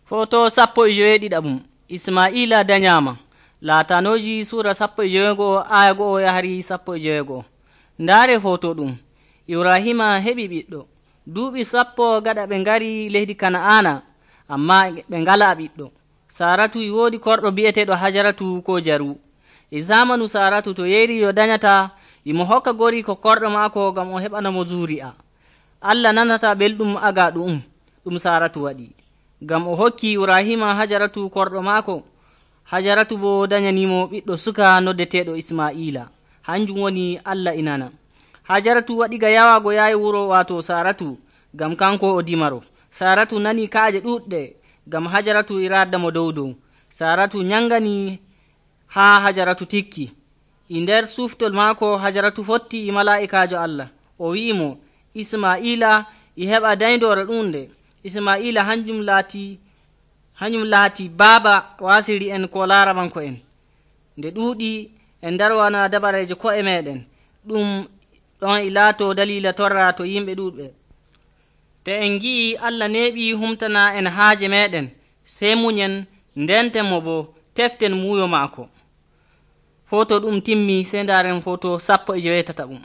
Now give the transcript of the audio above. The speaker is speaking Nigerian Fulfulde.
Foto 17 Isma'ila danyama laatanoji sura 17 aya 1 yahari 17. Ndaare foto ɗum Ibrahima heɓi ɓiɗɗo duuɓi 10 gaɗa ɓe ngari leydi Kana'ana, amma ɓe ngala ɓiɗɗo. Saratu e woodi korɗo bi'eteeɗo Hajaratu ko Jaru. E zamanu Saratu to yeeri yo danyata imo hokka gori ko korɗo maako ngam o heɓanamo zuri'a. Allah nanata belɗum aga ɗum Saratu waɗi, ngam o hokki Ibrahima Hajaratu korɗo maako. Hajaratu bo danyanimo ɓiɗɗo suka noddeteeɗo Isma'ila, hanjum woni Allah inana. Hajaratu waɗi ga yawago yaayi wuro waato Saratu, ngam kanko o dimaro. Saratu nani kaaje ɗuɗɗe, ngam Hajaratu e raadamo dow. Saratu nyangani haa Hajaratu tikki. E nder suftol maako Hajaratu fotti e malaa'ikaajo Allah, o wi'imo Isma'ila e heɓa dayndore ɗunde. Isma'ila hanjum laati baaba wasiri en ko laaramanko en. Nde ɗuuɗi en darwana dabareeje ko'e meɗen, ɗum ɗon e laato dalila torra to yimɓe ɗuuɗɓe. Te en gi'i Allah neeɓi humtana en haaje meɗen, sey munyen ndenten mo bo teften muuyo maako. Foto ɗum timmi, sey ndaaren foto 17.